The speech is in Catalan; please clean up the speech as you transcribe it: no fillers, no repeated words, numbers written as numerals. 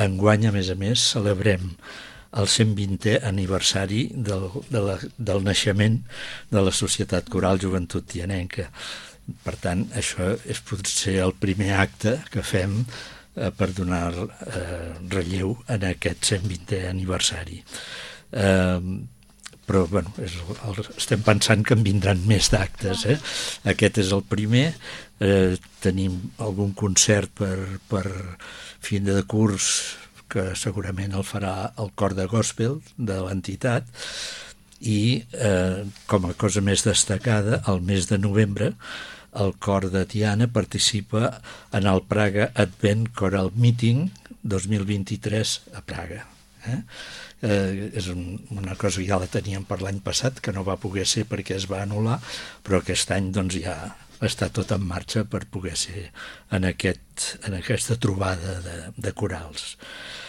enguany, a més, celebrem el 120è aniversari del naixement de la Societat Coral Joventut Tianenca. Per tant, això és potser el primer acte que fem per donar relleu en aquest 120è aniversari. Però bueno, estem pensant que en vindran més d'actes. Aquest és el primer. Tenim algun concert per fin de curs que segurament el farà el cor de gospel de l'entitat, i com a cosa més destacada, el mes de novembre el cor de Tiana participa en el Praga Advent Choral Meeting 2023 a Praga. És una cosa que ja la teníem per l'any passat, que no va poder ser perquè es va anul·lar, però aquest any doncs ja està tot en marxa per poder ser en aquesta trobada de corals.